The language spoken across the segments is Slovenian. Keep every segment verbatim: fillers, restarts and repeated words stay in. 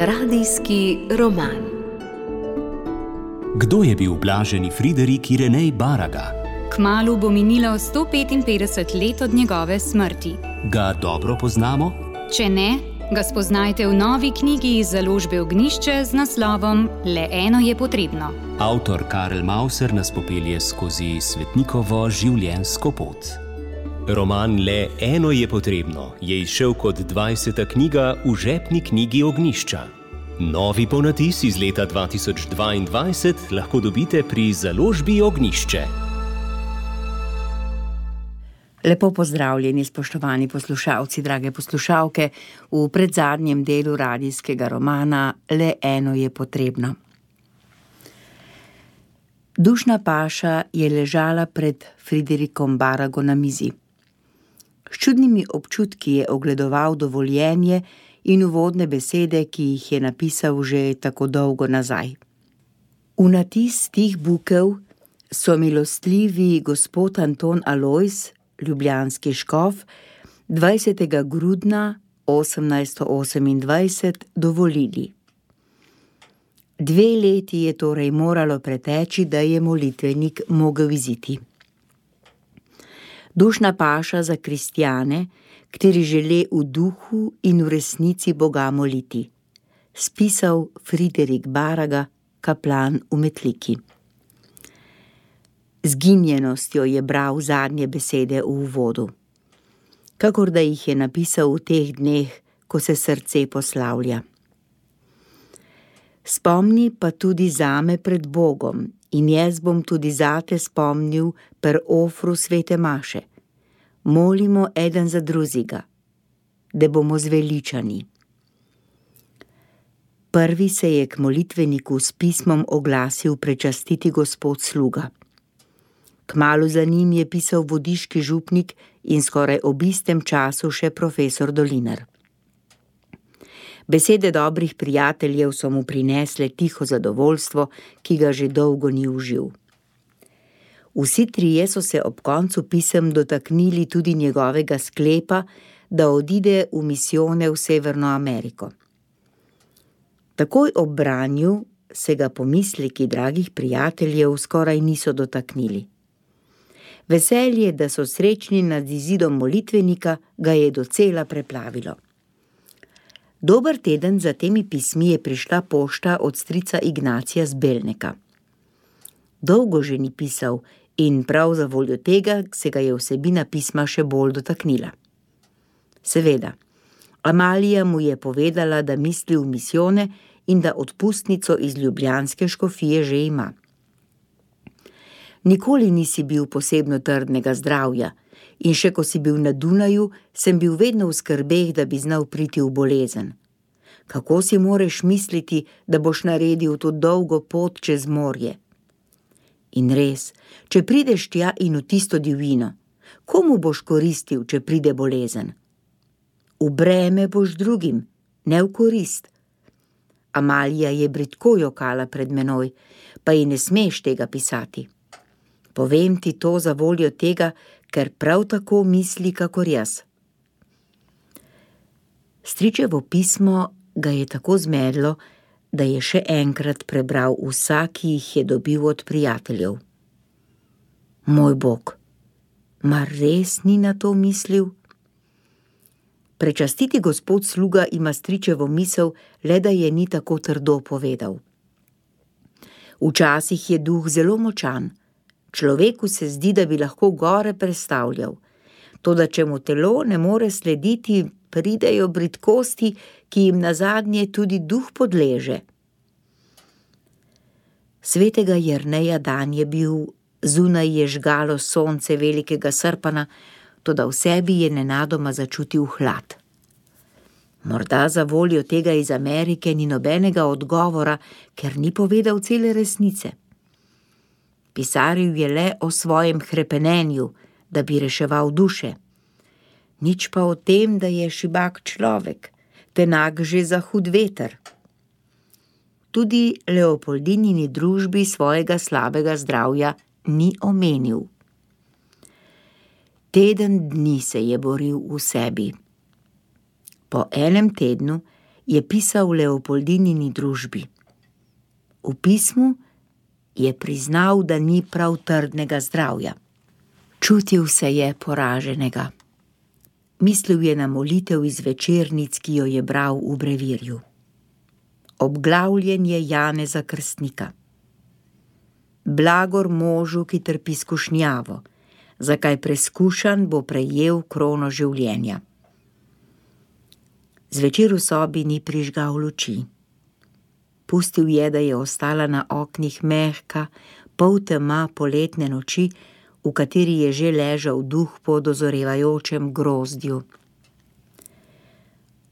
Radijski roman. Kdo je bil blaženi Friderik Irenej Baraga? Kmalu bo minilo sto petinpetdeset let od njegove smrti. Ga dobro poznamo? Če ne, ga spoznajte v novi knjigi iz založbe Ognjišče z naslovom Le eno je potrebno. Avtor Karel Mauser nas popelje skozi svetnikovo življenjsko pot. Roman Le eno je potrebno je izšel kot dvajseta knjiga v žepni knjigi Ognjišča. Novi ponatis iz leta dva tisoč dvaindvajset lahko dobite pri založbi Ognjišče. Lepo pozdravljeni, spoštovani poslušalci, drage poslušalke, v predzadnjem delu radijskega romana Le eno je potrebno. Dušna paša je ležala pred Friderikom Barago na mizi. S čudnimi občutki je ogledoval dovoljenje in uvodne besede, ki jih je napisal že tako dolgo nazaj. V natis tih bukev so milostljivi gospod Anton Alojz, ljubljanski škof, dvajsetega grudna osemnajststo osemindvajset dovolili. Dve leti je torej moralo preteči, da je molitvenik mogel iziti. Dušna paša za kristjane, kateri žele v duhu in v resnici Boga moliti. Spisal Friderik Baraga, kaplan v Metliki. Z ginjenostjo je bral zadnje besede v uvodu, kakor da jih je napisal v teh dneh, ko se srce poslavlja. Spomni pa tudi zame pred Bogom in jaz bom tudi zate spomnil per ofru svete maše. Molimo eden za drugega, da bomo zveličani. Prvi se je k molitveniku s pismom oglasil prečastiti gospod sluga. Kmalu za njim je pisal vodiški župnik in skoraj ob istem času še profesor Dolinar. Besede dobrih prijateljev so mu prinesle tiho zadovoljstvo, ki ga že dolgo ni užil. Vsi trije so se ob koncu pisem dotaknili tudi njegovega sklepa, da odide v misijone v Severno Ameriko. Takoj ob branju se ga pomisleki dragih prijateljev skoraj niso dotaknili. Veselje, da so srečni nad izidom molitvenika, ga je docela preplavilo. Dober teden za temi pismi je prišla pošta od strica Ignacija z Belneka. Dolgo že ni pisal in prav za voljo tega se ga je vsebina pisma še bolj dotaknila. Seveda, Amalija mu je povedala, da misli v misijone in da odpustnico iz ljubljanske škofije že ima. Nikoli nisi bil posebno trdnega zdravja in še ko si bil na Dunaju, sem bil vedno v skrbeh, da bi znal priti v bolezen. Kako si moreš misliti, da boš naredil to dolgo pot čez morje? In res, če prideš tja in v tisto divjino, komu boš koristil, če pride bolezen? V breme boš drugim, ne v korist. Amalija je bridko jokala pred menoj, pa ji ne smeš tega pisati. Povem ti to za voljo tega, ker prav tako misli, kakor jaz. Stričevo pismo ga je tako zmedlo, da je še enkrat prebral vsak, ki jih je dobil od prijateljev. Moj Bog, mar res ni na to mislil? Prečastiti gospod sluga ima stričevo misel, le da je ni tako trdo povedal. Včasih je duh zelo močan. Človeku se zdi, da bi lahko gore prestavljal. Toda če mu telo ne more slediti, pridejo bridkosti, ki jim nazadnje tudi duh podleže. Svetega Jerneja dan je bil, zunaj je žgalo sonce velikega srpana, toda v sebi je nenadoma začutil hlad. Morda za voljo tega iz Amerike ni nobenega odgovora, ker ni povedal cele resnice. Pisaril je le o svojem hrepenenju, da bi reševal duše. Nič pa o tem, da je šibak človek, tenak že za hud veter. Tudi Leopoldinini družbi svojega slabega zdravja ni omenil. Teden dni se je boril v sebi. Po enem tednu je pisal Leopoldinini družbi. V pismu je priznal, da ni prav trdnega zdravja. Čutil se je poraženega. Mislil je na molitev iz večernic, ki jo je bral v brevirju. Obglavljen je Janeza Krstnika. Blagor možu, ki trpi skušnjavo, zakaj preskušan bo prejel krono življenja. Zvečer v sobi ni prižgal luči. Pustil je, da je ostala na oknih mehka, poltema poletne noči, v kateri je že ležal duh po dozorevajočem grozdju.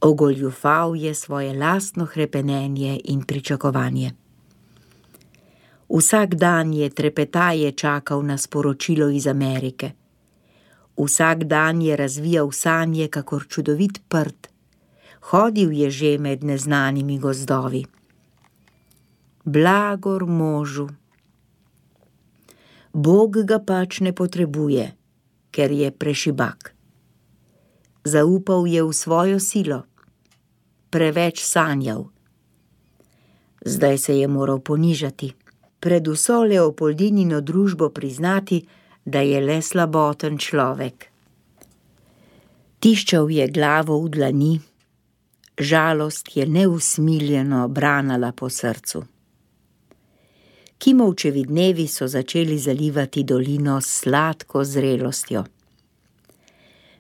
Ogoljufal je svoje lastno hrepenenje in pričakovanje. Vsak dan je trepetaje čakal na sporočilo iz Amerike. Vsak dan je razvijal sanje kakor čudovit prt. Hodil je že med neznanimi gozdovi. Blagor možu. Bog ga pač ne potrebuje, ker je prešibak. Zaupal je v svojo silo. Preveč sanjal. Zdaj se je moral ponižati. Pred vso Leopoldinino družbo priznati, da je le slaboten človek. Tiščal je glavo v dlani. Žalost je neusmiljeno branala po srcu. Kimovčevi dnevi so začeli zalivati dolino s sladko zrelostjo.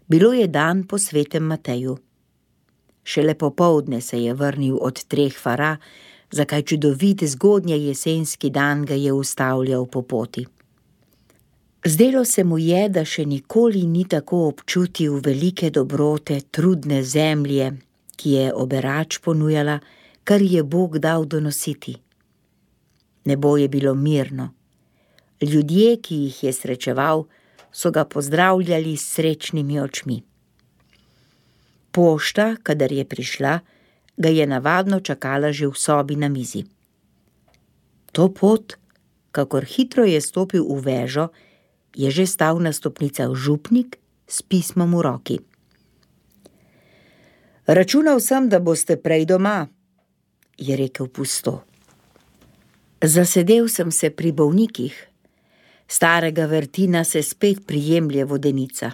Bilo je dan po svetem Mateju. Šele popoldne se je vrnil od treh fara, zakaj čudovit zgodnje jesenski dan ga je ustavljal po poti. Zdelo se mu je, da še nikoli ni tako občutil velike dobrote trudne zemlje, ki je oberač ponujala, kar je Bog dal donositi. Nebo je bilo mirno. Ljudje, ki jih je srečeval, so ga pozdravljali s srečnimi očmi. Pošta, kadar je prišla, ga je navadno čakala že v sobi na mizi. To pot, kakor hitro je stopil v vežo, je že stal na stopnicah župnik s pismom v roki. Računal sem, da boste prej doma, je rekel pusto. Zasedel sem se pri bolnikih. Starega Vertina se spet prijemlje vodenica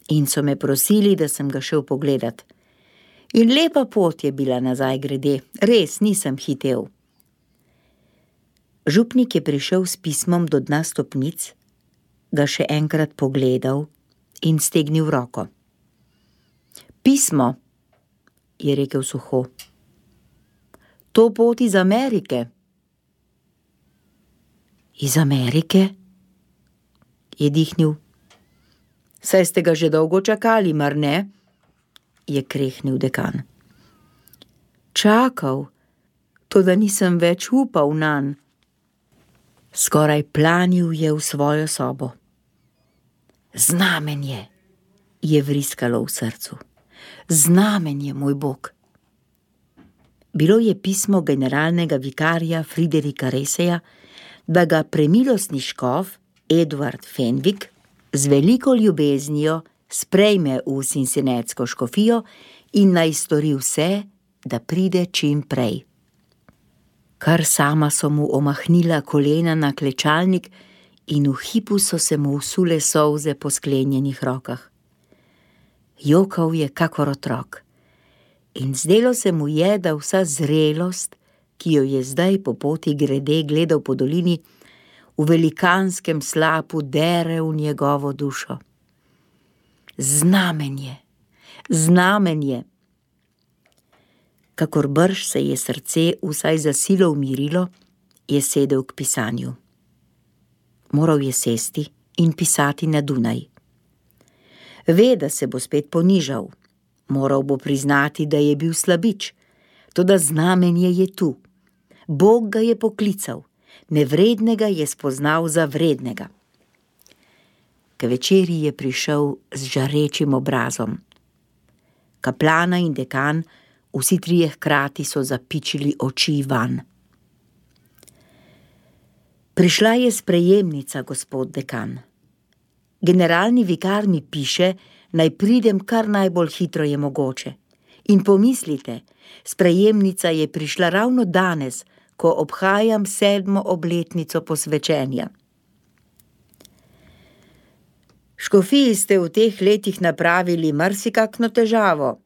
in so me prosili, da sem ga šel pogledat. In lepa pot je bila nazaj grede, res nisem hitel. Župnik je prišel s pismom do dna stopnic, ga še enkrat pogledal in stegnil roko. Pismo, je rekel suho. To pot iz Amerike. Iz Amerike? Je dihnil. Saj ste ga že dolgo čakali, mar ne? Je krehnil dekan. Čakal, toda nisem več upal nanj. Skoraj planil je v svojo sobo. Znamenje, je vriskalo v srcu. Znamenje, moj Bog. Bilo je pismo generalnega vikarja Friderika Reseja, da ga premilostni škof Edward Fenwick z veliko ljubeznijo sprejme v Cincinnatsko škofijo in naj stori vse, da pride čim prej. Kar sama so mu omahnila kolena na klečalnik in v hipu so se mu usule solze po sklenjenih rokah. Jokal je kakor otrok in zdelo se mu je, da vsa zrelost, ki jo je zdaj po poti grede gledal po dolini, v velikanskem slapu dere v njegovo dušo. Znamenje, znamenje. Kakor brž se je srce vsaj za silo umirilo, je sedel k pisanju. Moral je sesti in pisati na Dunaj. Ve, da se bo spet ponižal. Moral bo priznati, da je bil slabič. Toda znamenje je tu. Bog ga je poklical. Nevrednega je spoznal za vrednega. K večeri je prišel z žarečim obrazom. Kaplana in dekan, vsi trije hkrati so zapičili oči van. Prišla je sprejemnica, gospod dekan. Generalni vikar mi piše, naj pridem kar najbolj hitro je mogoče In pomislite, sprejemnica je prišla ravno danes, ko obhajam sedmo obletnico posvečenja. Škofiji ste v teh letih napravili marsikakšno težavo,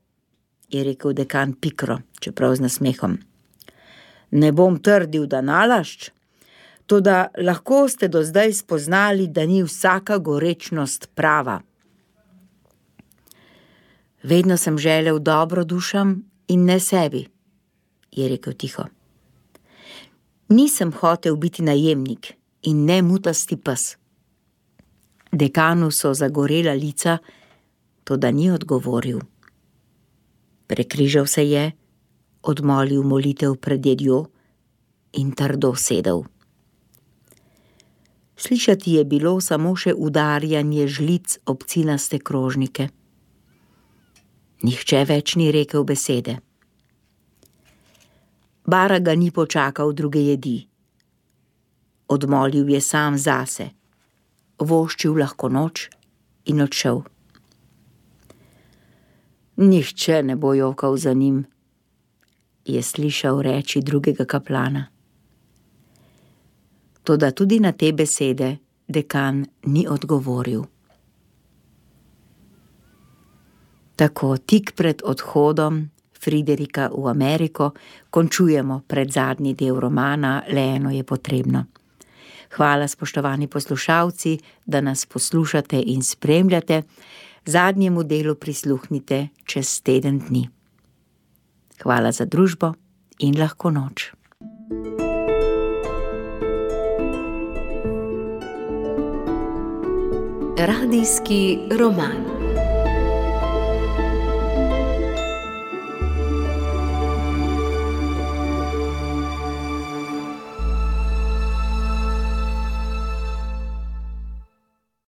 je rekel dekan pikro, čeprav z nasmehom. Ne bom trdil, da nalašč, toda lahko ste do zdaj spoznali, da ni vsaka gorečnost prava. Vedno sem želel dobro dušam in ne sebi, je rekel tiho. Nisem hotel biti najemnik in ne mutasti pes. Dekanu so zagorela lica, toda ni odgovoril. Prekrižal se je, odmolil molitev pred jedjo in trdo sedel. Slišati je bilo samo še udarjanje žlic ob cinaste krožnike. Nihče več ni rekel besede. Bara ga ni počakal druge jedi. Odmolil je sam zase, voščil lahko noč in odšel. Nihče ne bo jokal za njim, je slišal reči drugega kaplana. Toda tudi na te besede dekan ni odgovoril. Tako tik pred odhodom Friderika v Ameriko končujemo predzadnji del romana Le eno je potrebno. Hvala, spoštovani poslušalci, da nas poslušate in spremljate. Zadnjemu delu prisluhnite čez teden dni. Hvala za družbo in lahko noč. Radijski roman.